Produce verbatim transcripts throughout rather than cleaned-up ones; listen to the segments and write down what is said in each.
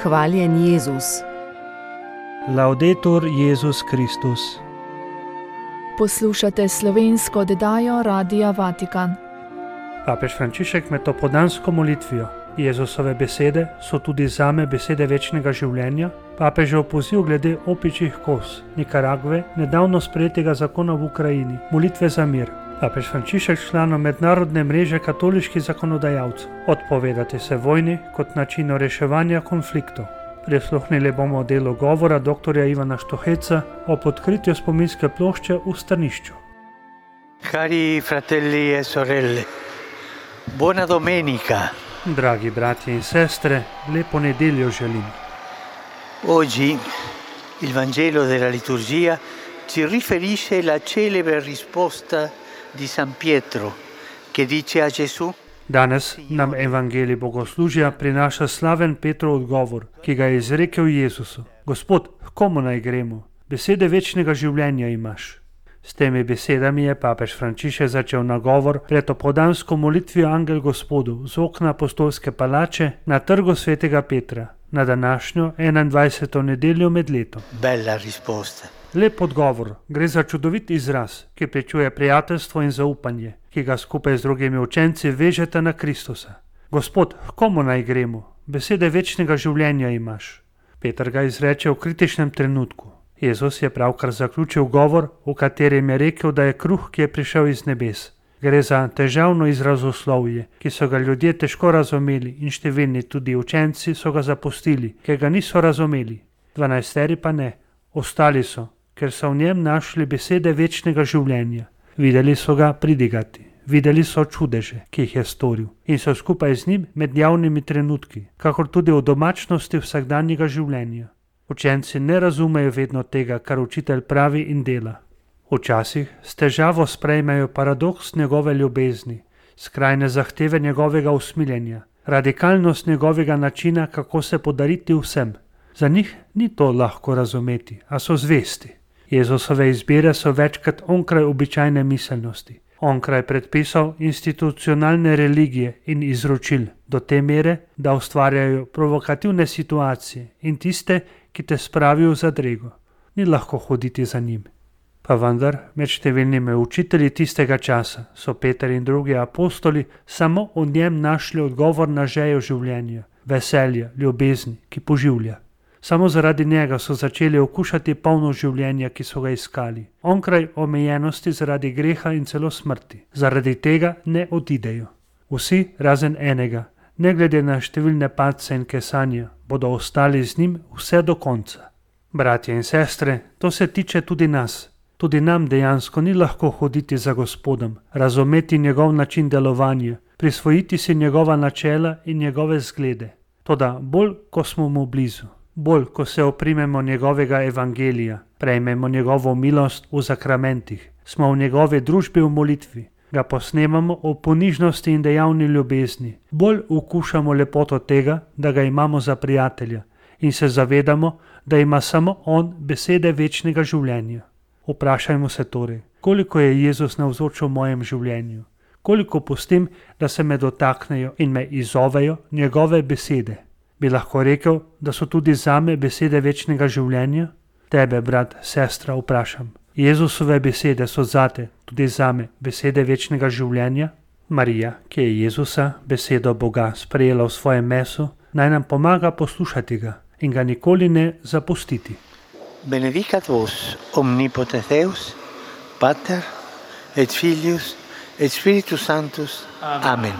Hvaljen Jezus. Laudetur Jezus Kristus. Poslušate slovensko oddajo Radia Vatikan. Papež Frančišek med opoldansko molitvijo. Jezusove besede so tudi zame besede večnega življenja. Papežev poziv glede opičjih koz Nikaragve, nedavno sprejetega zakona v Ukrajini, molitve za mir. Papež Frančišek članom mednarodne mreže katoliških zakonodajalcev. Odpovedati se vojni kot načinu reševanja konfliktov. Prisluhnili bomo delu govora doktorja Ivana Štoheca o odkritju spominske plošče v Strnišču. Cari fratelli e sorelle, buona domenica. Dragi bratje in sestre, lepo nedeljo želim. Oggi il Vangelo della liturgia ci riferisce la celebre risposta di San Pietro che dice a Gesù: Danes nam evangelij bogoslužja prinaša slaven Petrov odgovor, ki ga je izrekel Jezusu. Gospod, k komu naj gremo? Besede večnega življenja imaš. S temi besedami je papež Frančišek začel nagovor pred opoldansko molitvijo Angel Gospodu z okna apostolske palače na trgu svetega Petra na današnjo enaindvajseto nedeljo med letom. Bella risposta. Lep odgovor, gre za čudovit izraz, ki pričuje prijateljstvo in zaupanje, ki ga skupaj z drugimi učenci vežete na Kristusa. Gospod, k komu naj gremo? Besede večnega življenja imaš. Peter ga izreče v kritičnem trenutku. Jezus je pravkar zaključil govor, v katerem je rekel, da je kruh, ki je prišel iz nebes. Gre za težavno izrazoslovje, ki so ga ljudje težko razumeli in številni tudi učenci so ga zapustili, ker ga niso razumeli. Dvanajsteri pa ne, ostali so, ker so v njem našli besede večnega življenja. Videli so ga pridigati, videli so čudeže, ki jih je storil in so skupaj z njim med javnimi trenutki, kakor tudi v domačnosti vsakdanjega življenja. Učenci ne razumejo vedno tega, kar učitelj pravi in dela. Včasih s težavo sprejmejo paradoks njegove ljubezni, skrajne zahteve njegovega usmiljenja, radikalnost njegovega načina, kako se podariti vsem. Za njih ni to lahko razumeti, a so zvesti. Jezusove izbire so večkrat onkraj običajne miselnosti, onkraj predpisov institucionalne religije in izročil, do te mere, da ustvarjajo provokativne situacije in tiste, ki te spravijo v zadrego. Ni lahko hoditi za njim. Pa vendar, med številnimi učitelji tistega časa so Peter in drugi apostoli samo v njem našli odgovor na žejo življenja, veselja, ljubezni, ki poživlja. Samo zaradi njega so začeli okušati polno življenja, ki so ga iskali. Onkraj omejenosti zaradi greha in celo smrti. Zaradi tega ne odidejo. Vsi razen enega, ne glede na številne padce in kesanja, bodo ostali z njim vse do konca. Bratje in sestre, to se tiče tudi nas. Tudi nam dejansko ni lahko hoditi za Gospodom, razumeti njegov način delovanja, prisvojiti si njegova načela in njegove zglede. Toda bolj, ko smo mu blizu, bolj, ko se oprimemo njegovega evangelija, prejmemo njegovo milost v zakramentih, smo v njegovi družbi v molitvi, ga posnemamo v ponižnosti in dejavni ljubezni, bolj ukušamo lepoto tega, da ga imamo za prijatelja in se zavedamo, da ima samo on besede večnega življenja. Vprašajmo se torej, koliko je Jezus navzoč v mojem življenju, koliko pustim, da se me dotaknejo in me izzovejo njegove besede. Bi lahko rekel, da so tudi zame besede večnega življenja? Tebe, brat, sestra, vprašam. Jezusove besede so zate, tudi zame, besede večnega življenja? Marija, ki je Jezusa, besedo Boga, sprejela v svojem mesu, naj nam pomaga poslušati ga in ga nikoli ne zapustiti. Benedicat vos omnipotens Deus, Pater et Filius et Spiritus Sanctus. Amen.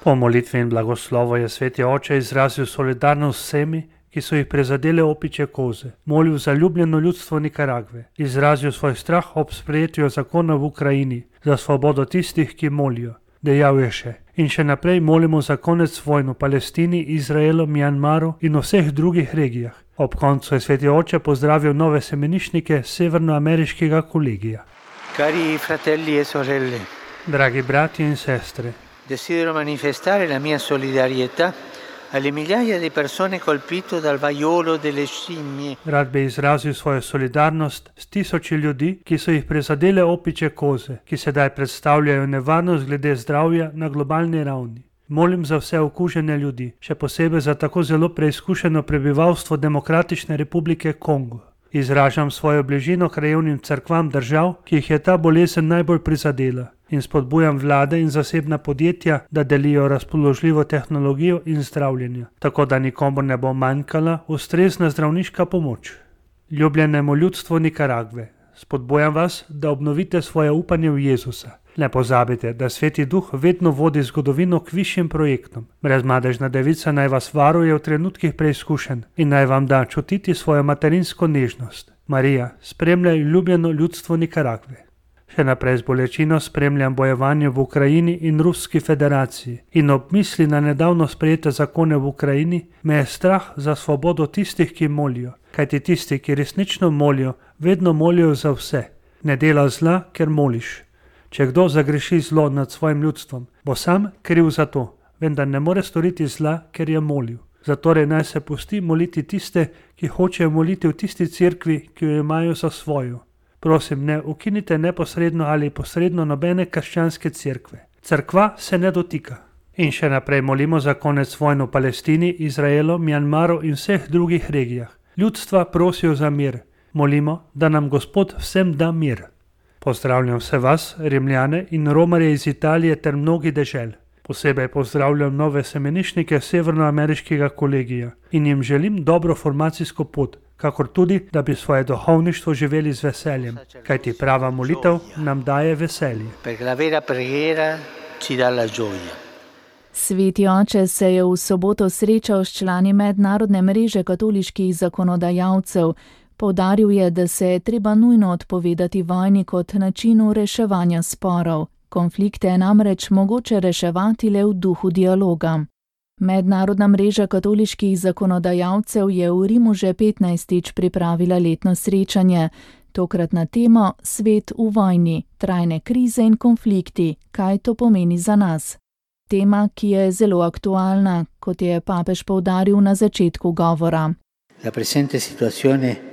Po molitvi in blagoslovu je sveti oče izrazil solidarnost s vsemi, ki so jih prizadele opičje koze, molil za ljubljeno ljudstvo Nikaragve, izrazil svoj strah ob sprejetju zakona v Ukrajini, za svobodo tistih, ki molijo. Dejal je še: in še naprej molimo za konec vojn v Palestini, Izraelu, Mjanmaru in vseh drugih regijah. Ob koncu je sveti oče pozdravil nove semeniščnike severnoameriškega kolegija. Cari fratelli e sorelle, Dragi bratje in sestre, desidero manifestare la mia solidarietà alle migliaia di persone colpite dal vaiolo delle scimmie. Rad bi izrazil svojo solidarnost s tisoči ljudi, ki so jih prizadele opičje koze, ki sedaj predstavljajo nevarnost glede zdravja na globalni ravni. Molim za vse okužene ljudi, še posebej za tako zelo preizkušeno prebivalstvo Demokratične republike Kongo. Izražam svojo bližino krajevnim cerkvam držav, ki jih je ta bolezen najbolj prizadela, in spodbujam vlade in zasebna podjetja, da delijo razpoložljivo tehnologijo in zdravljenje, tako da nikomur ne bo manjkala ustrezna zdravniška pomoč. Ljubljenemu ljudstvu Nikaragve, spodbujam vas, da obnovite svoje upanje v Jezusa. Ne pozabite, da Sveti Duh vedno vodi zgodovino k višjim projektom. Brezmadežna devica naj vas varuje v trenutkih preizkušenj in naj vam da čutiti svojo materinsko nežnost. Marija, spremljaj ljubljeno ljudstvo Nikaragve. Še naprej z bolečino spremljam bojevanje v Ukrajini in Ruski federaciji in ob misli na nedavno sprejete zakone v Ukrajini me je strah za svobodo tistih, ki molijo, kajti tisti, ki resnično molijo, vedno molijo za vse. Ne dela zla, ker moliš. Če kdo zagreši zlo nad svojim ljudstvom, bo sam kriv za to, vendar ne more storiti zla, ker je molil. Zatorej naj se pusti moliti tiste, ki hočejo moliti v tisti cerkvi, ki jo imajo za svojo. Prosim, ne ukinite neposredno ali posredno nobene krščanske cerkve. Cerkva se ne dotika. In še naprej molimo za konec vojn v Palestini, Izraelu, Mjanmaru in vseh drugih regijah. Ljudstva prosijo za mir. Molimo, da nam Gospod vsem da mir. Pozdravljam vse vas, Rimljane in Romarje iz Italije ter mnogih dežel. Posebej pozdravljam nove semenišnike severnoameriškega kolegija in jim želim dobro formacijsko pot, kakor tudi, da bi svoje duhovništvo živeli z veseljem, kajti prava molitev nam daje veselje. Sveti oče se je v soboto srečal s člani mednarodne mreže katoliških zakonodajalcev. Poudaril je, da se je treba nujno odpovedati vojni kot načinu reševanja sporov. Konflikte je namreč mogoče reševati le v duhu dialoga. Mednarodna mreža katoliških zakonodajalcev je v Rimu že petnajstič pripravila letno srečanje, tokrat na temo Svet v vojni, trajne krize in konflikti, kaj to pomeni za nas. Tema, ki je zelo aktualna, kot je papež poudaril na začetku govora. La presente situazione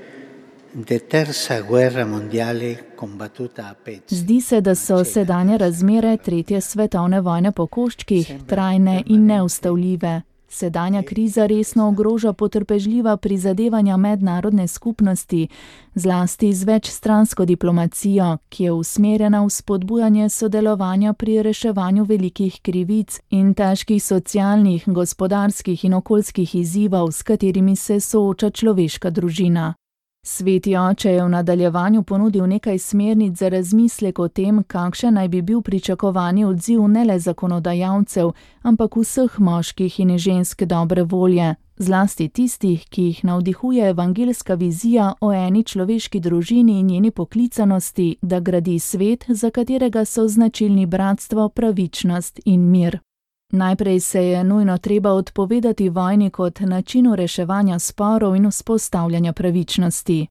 de terza guerra mondiale combattuta a pezzi. Zdi se, da so sedanje razmere tretje svetovne vojne po koščkih, trajne in neustavljive. Sedanja kriza resno ogroža potrpežljiva prizadevanja mednarodne skupnosti, zlasti z večstransko diplomacijo, ki je usmerjena v spodbujanje sodelovanja pri reševanju velikih krivic in težkih socialnih, gospodarskih in okoljskih izzivov, s katerimi se sooča človeška družina. Sveti oče je v nadaljevanju ponudil nekaj smernic za razmislek o tem, kakšen naj bi bil pričakovani odziv ne le zakonodajalcev, ampak vseh moških in žensk dobre volje, zlasti tistih, ki jih navdihuje evangeljska vizija o eni človeški družini in njeni poklicanosti, da gradi svet, za katerega so značilni bratstvo, pravičnost in mir. Najprej se je nujno treba odpovedati vojni kot načinu reševanja sporov in vzpostavljanja pravičnosti.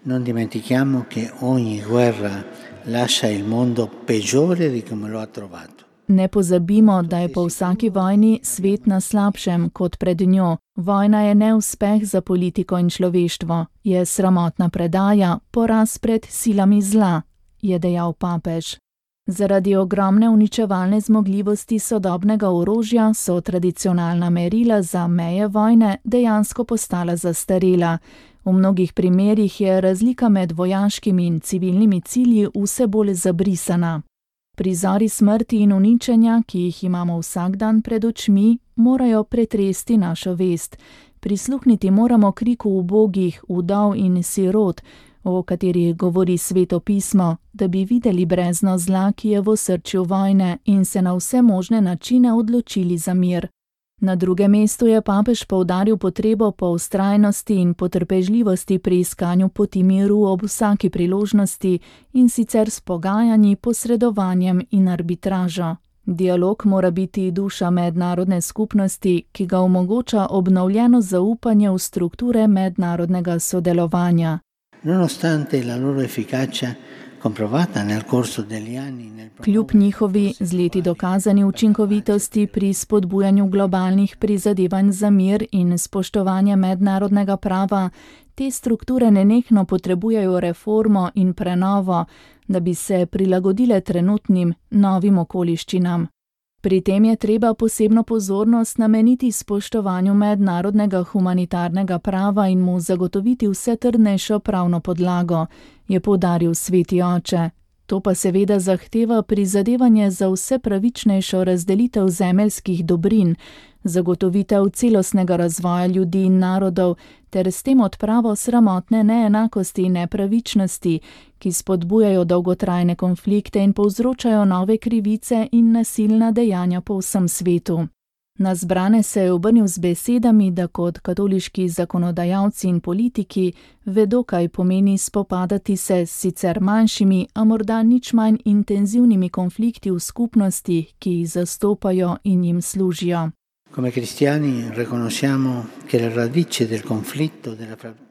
Non dimentichiamo che ogni guerra lascia il mondo peggiore di come lo ha trovato. Ne pozabimo, da je po vsaki vojni svet na slabšem kot pred njo. Vojna je neuspeh za politiko in človeštvo, je sramotna predaja, poraz pred silami zla, je dejal papež. Zaradi ogromne uničevalne zmogljivosti sodobnega orožja so tradicionalna merila za meje vojne dejansko postala zastarela. V mnogih primerih je razlika med vojaškimi in civilnimi cilji vse bolj zabrisana. Prizori smrti in uničenja, ki jih imamo vsak dan pred očmi, morajo pretresti našo vest. Prisluhniti moramo kriku ubogih, vdov in sirot, o katerih govori Sveto pismo, da bi videli brezno zla, ki je v osrčju vojne in se na vse možne načine odločili za mir. Na drugem mestu je papež poudaril potrebo po vztrajnosti in potrpežljivosti pri iskanju poti miru ob vsaki priložnosti in sicer s pogajanji, posredovanjem in arbitražo. Dialog mora biti duša mednarodne skupnosti, ki ga omogoča obnovljeno zaupanje v strukture mednarodnega sodelovanja. Nonostante la loro efficacia comprovata nel corso degli anni nel Kljub njihovi z leti dokazani učinkovitosti pri spodbujanju globalnih prizadevanj za mir in spoštovanje mednarodnega prava, te strukture nenehno potrebujejo reformo in prenovo, da bi se prilagodile trenutnim novim okoliščinam. Pri tem je treba posebno pozornost nameniti spoštovanju mednarodnega humanitarnega prava in mu zagotoviti vse trdnejšo pravno podlago, je poudaril sveti oče. To pa seveda zahteva prizadevanje za vse pravičnejšo razdelitev zemeljskih dobrin, zagotovitev celostnega razvoja ljudi in narodov ter s tem odpravo sramotne neenakosti in nepravičnosti, ki spodbujajo dolgotrajne konflikte in povzročajo nove krivice in nasilna dejanja po vsem svetu. Na zbrane se je obrnil z besedami, da kot katoliški zakonodajalci in politiki vedo, kaj pomeni spopadati se s sicer manjšimi, a morda nič manj intenzivnimi konflikti v skupnosti, ki jih zastopajo in jim služijo.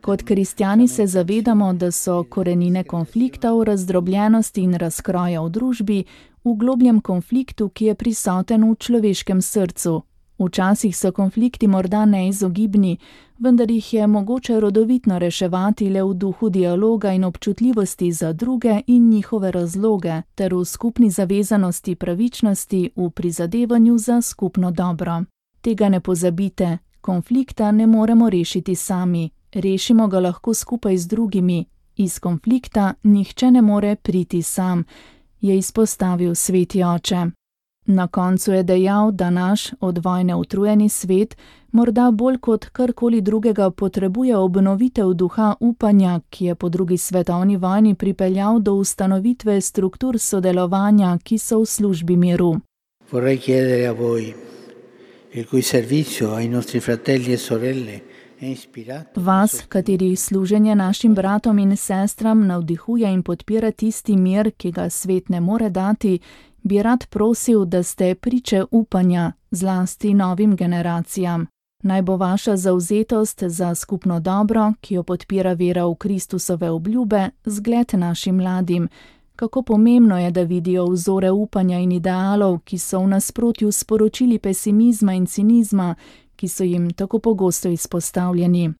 Kot kristjani se zavedamo, da so korenine konfliktov, razdrobljenosti in razkroja v družbi v globljem konfliktu, ki je prisoten v človeškem srcu. Včasih so konflikti morda neizogibni, vendar jih je mogoče rodovitno reševati le v duhu dialoga in občutljivosti za druge in njihove razloge, ter v skupni zavezanosti pravičnosti v prizadevanju za skupno dobro. Tega ne pozabite, konflikta ne moremo rešiti sami, rešimo ga lahko skupaj z drugimi. Iz konflikta nihče ne more priti sam, je izpostavil sveti oče. Na koncu je dejal, da naš od vojne utrujeni svet morda bolj kot karkoli drugega potrebuje obnovitev duha upanja, ki je po drugi svetovni vojni pripeljal do ustanovitve struktur sodelovanja, ki so v službi miru. Vorrei chiedere a voi, il cui servizio ai nostri fratelli e sorelle è ispirato. Vas, katerih služenje našim bratom in sestram navdihuje in podpira tisti mir, ki ga svet ne more dati, bi rad prosil, da ste priče upanja, zlasti novim generacijam. Naj bo vaša zavzetost za skupno dobro, ki jo podpira vera v Kristusove obljube, zgled našim mladim. Kako pomembno je, da vidijo vzore upanja in idealov, ki so v nasprotju s sporočili pesimizma in cinizma, ki so jim tako pogosto izpostavljeni.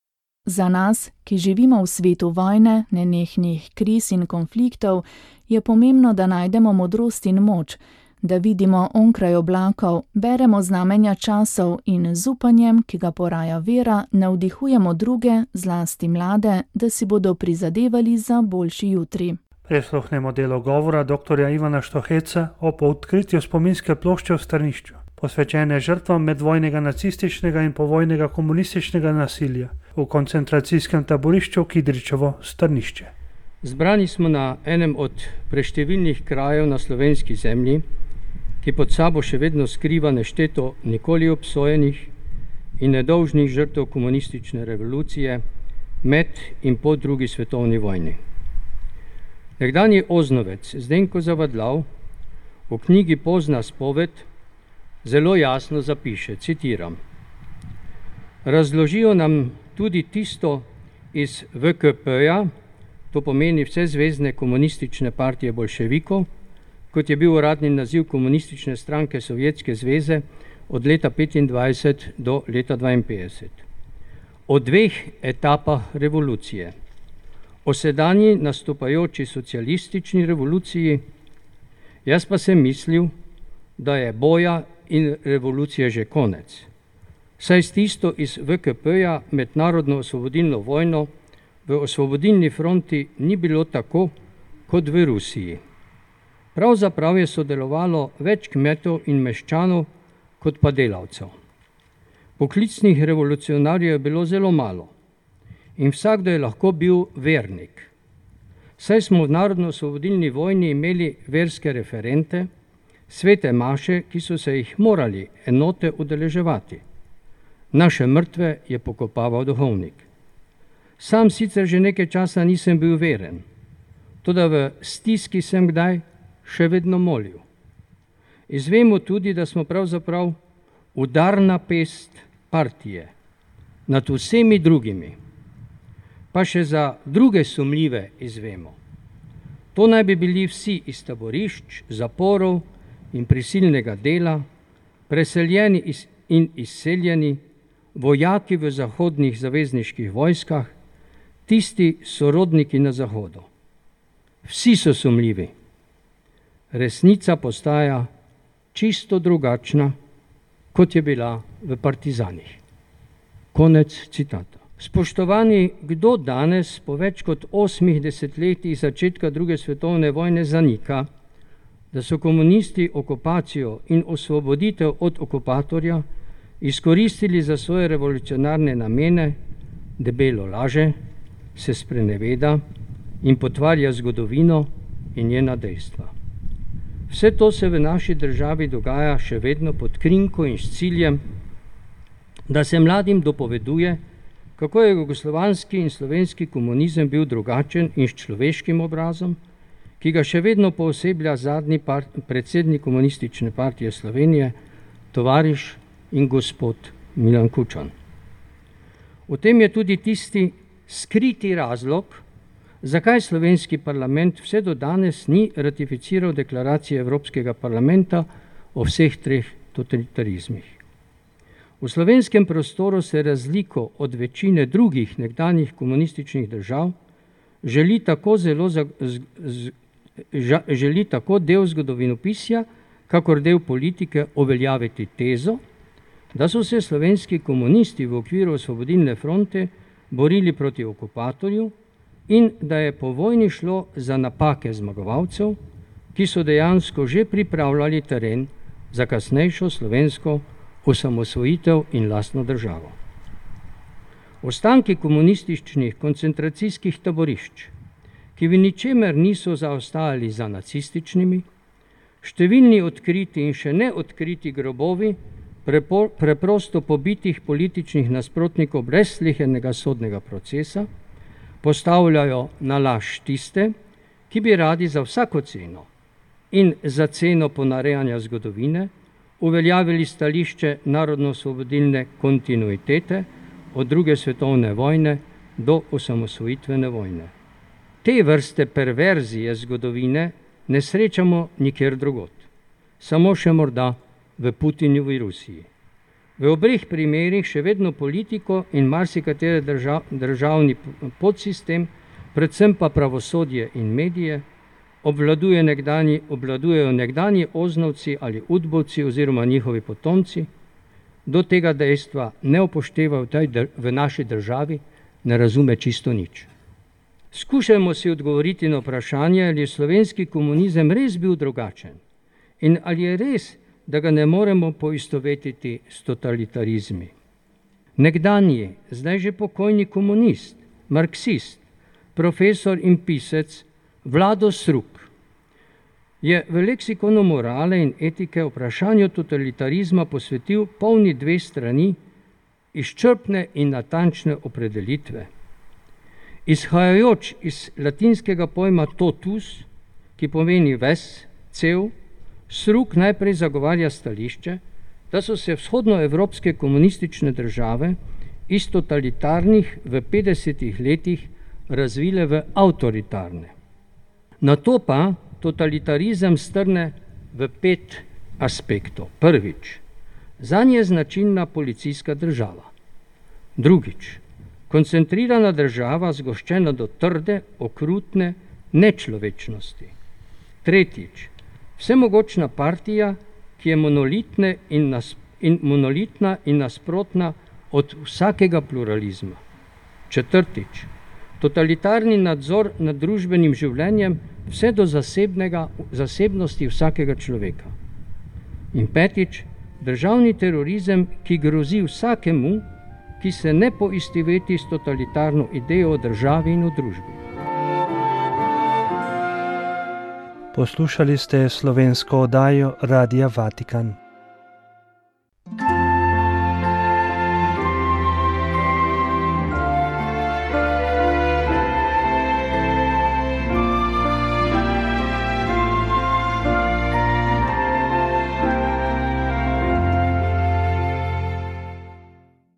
Za nas, ki živimo v svetu vojne, nenehnih kriz in konfliktov, je pomembno, da najdemo modrost in moč, da vidimo onkraj oblakov, beremo znamenja časov in z upanjem, ki ga poraja vera, navdihujemo druge, zlasti mlade, da si bodo prizadevali za boljši jutri. Prisluhnemo delo govora doktorja Ivana Štoheca o odkritju spominske plošče v Strnišču, posvečene žrtvam medvojnega nacističnega in povojnega komunističnega nasilja v koncentracijskem taborišču Kidričevo Strnišče. Zbrani smo na enem od preštevilnih krajev na slovenski zemlji, ki pod sabo še vedno skriva nešteto nikoli obsojenih in nedolžnih žrtev komunistične revolucije med in po drugi svetovni vojni. Nekdanji oznovec Zdenko Zavadlav v knjigi Pozna spoved zelo jasno zapiše, citiram: Razložijo nam tudi tisto iz V K P-ja, to pomeni Vsezvezne komunistične partije bolševikov, kot je bil uradni naziv komunistične stranke Sovjetske zveze od leta petindvajset do leta dvainpetdeset. O dveh etapah revolucije. O sedanji nastopajoči socialistični revoluciji, jaz pa sem mislil, da je boja in revolucije že konec. Saj s tisto iz V K P-ja med narodno osvobodilno vojno v osvobodilni fronti ni bilo tako kot v Rusiji. Pravzaprav je sodelovalo več kmetov in meščanov kot pa delavcev. Poklicnih revolucionarjev je bilo zelo malo in vsakdo je lahko bil vernik. Saj smo v narodno-osvobodilni vojni imeli verske referente, svete maše, ki so se jih morali enote udeleževati. Naše mrtve je pokopaval duhovnik. Sam sicer že nekaj časa nisem bil veren, toda v stiski sem kdaj še vedno molil. Izvemo tudi, da smo pravzaprav udarna pest partije nad vsemi drugimi, pa še za druge sumljive izvemo. To naj bi bili vsi iz taborišč, zaporov in prisilnega dela, preseljeni in izseljeni, vojaki v zahodnih zavezniških vojskah, tisti sorodniki na zahodu. Vsi so sumljivi. Resnica postaja čisto drugačna, kot je bila v partizanih. Konec citata. Spoštovani, kdo danes po več kot osmih desetletjih začetka druge svetovne vojne zanika, da so komunisti okupacijo in osvoboditev od okupatorja izkoristili za svoje revolucionarne namene, debelo laže, se spreneveda in potvarja zgodovino in njena dejstva. Vse to se v naši državi dogaja še vedno pod krinko in s ciljem, da se mladim dopoveduje, kako je jugoslovanski in slovenski komunizem bil drugačen in s človeškim obrazom, ki ga še vedno pooseblja zadnji part, predsednik Komunistične partije Slovenije, tovariš in gospod Milan Kučan. V tem je tudi tisti skriti razlog, zakaj slovenski parlament vse do danes ni ratificiral deklaracije Evropskega parlamenta o vseh treh totalitarizmih. V slovenskem prostoru se razliko od večine drugih nekdanjih komunističnih držav želi tako, zelo za, z, z, ža, želi tako del zgodovinopisja, kakor del politike uveljaviti tezo, da so se slovenski komunisti v okviru Osvobodilne fronte borili proti okupatorju in da je po vojni šlo za napake zmagovalcev, ki so dejansko že pripravljali teren za kasnejšo slovensko osamosvojitev in lastno državo. Ostanki komunističnih koncentracijskih taborišč, ki v ničemer niso zaostajali za nacističnimi, številni odkriti in še ne odkriti grobovi prepo, preprosto pobitih političnih nasprotnikov brez slehernega sodnega procesa, postavljajo na laž tiste, ki bi radi za vsako ceno in za ceno ponarejanja zgodovine uveljavili stališče narodno-osvobodilne kontinuitete od druge svetovne vojne do osamosvojitvene vojne. Te vrste perverzije zgodovine ne srečamo nikjer drugod, samo še morda v Putinjovi Rusiji. V obeh primerih še vedno politiko in marsikatere držav, državni podsistem, predvsem pa pravosodje in medije, obvladuje nekdanji, obvladujejo nekdanji oznovci ali udbovci oziroma njihovi potomci, do tega dejstva ne upoštevajo v naši državi, ne razume čisto nič. Skušajmo si odgovoriti na vprašanje, ali je slovenski komunizem res bil drugačen in ali je res, da ga ne moremo poistovetiti s totalitarizmi. Nekdanji, zdaj že pokojni komunist, marksist, profesor in pisec Vlado Sruk je v leksikonu morale in etike vprašanju totalitarizma posvetil polni dve strani izčrpne in natančne opredelitve. Izhajajoč iz latinskega pojma totus, ki pomeni ves, cel, Sruk najprej zagovarja stališče, da so se vzhodnoevropske komunistične države iz totalitarnih v petdesetih letih razvile v avtoritarne. Nato pa totalitarizem strne v pet aspektov. Prvič, zanje je značilna policijska država. Drugič, koncentrirana država zgoščena do trde, okrutne nečlovečnosti. Tretjič, vsemogočna partija, ki je monolitne in, nas, in monolitna in nasprotna od vsakega pluralizma. Četrtič, totalitarni nadzor nad družbenim življenjem vse do zasebnega, zasebnosti vsakega človeka. In petič, državni terorizem, ki grozi vsakemu, ki se ne poistoveti s totalitarno idejo o državi in o družbi. Poslušali ste slovensko oddajo Radia Vatikan.